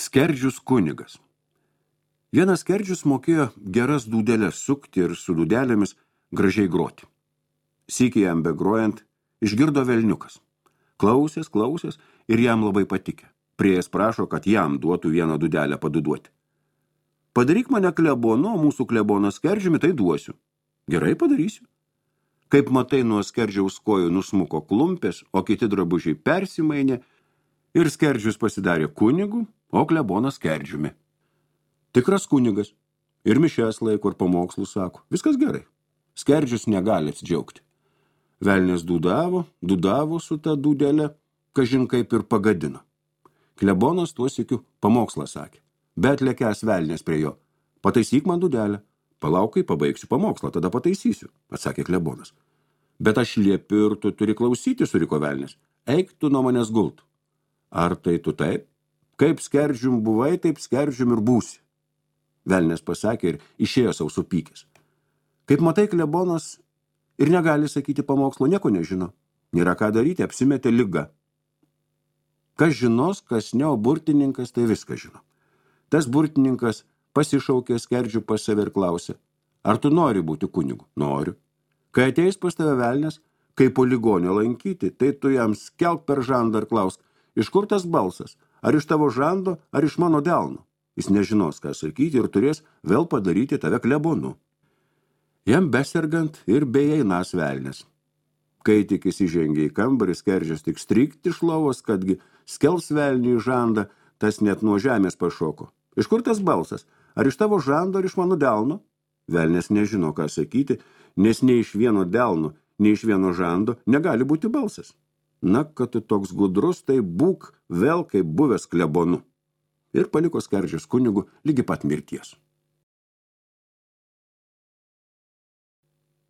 Skerdžius kunigas. Vienas skerdžius mokėjo geras dūdelės sukti ir su dūdelėmis gražiai groti. Sykį jam begrojant išgirdo velniukas. Klausės ir jam labai patikė. Priejas prašo, kad jam duotų vieną dūdelę paduduoti. Padaryk mane klebonu, o mūsų klebonas skerdžiumi, tai duosiu. Gerai padarysiu. Kaip matai, nuo skerdžiaus kojų nusmuko klumpės, o kiti drabužiai persimainė ir skerdžius pasidarė kunigu, o klebonas skerdžiumi. Tikras kunigas. Ir mišes laiko ir pamokslus sako. Viskas gerai. Skerdžius negali atsidžiaugti. Velnias dūdavo su ta dūdelė, kažin kaip ir pagadino. Klebonas tuo sykiu pamokslą sakė. Bet lekęs velnias prie jo. Pataisyk man dūdelę. Palauk, kai pabaigsiu pamokslą, tada pataisysiu, atsakė klebonas. Bet aš liepiu ir tu turi klausyti, suriko velnias. Eik tu nuo manęs gult. Ar tai tu taip? Kaip skerdžium buvai, taip skerdžium ir būsi. Velnias pasakė ir išėjo savo supykęs. Kaip matai, klebonas ir negali sakyti pamokslo, nieko nežino. Nėra ką daryti, apsimetė liga. Kas žinos, kas ne, o burtininkas, tai viską žino. Tas burtininkas pasišaukė skerdžių pas save ir klausė, ar tu nori būti kunigu? Noriu. Kai ateis pas tave velnias, kai po ligonio lankyti, tai tu jam skelk per žandą ir klausk, iš kur tas balsas? Ar iš tavo žando, ar iš mano delno? Jis nežinos, ką sakyti ir turės vėl padaryti tave klebonu. Jam besergant ir beeinas velnias. Kai tik įsižengė į kambarį, skerdžius tik strykti iš lovos, kadgi skels velnių į žandą, tas net nuo žemės pašoko. Iš kur tas balsas? Ar iš tavo žando, ar iš mano delno? Velnias nežino, ką sakyti, nes nei iš vieno delno, nei iš vieno žando negali būti balsas. Na, kad tu toks gudrus, tai būk vėl kaip buvęs klebonu. Ir paliko skerdžius kunigu lygi pat mirties.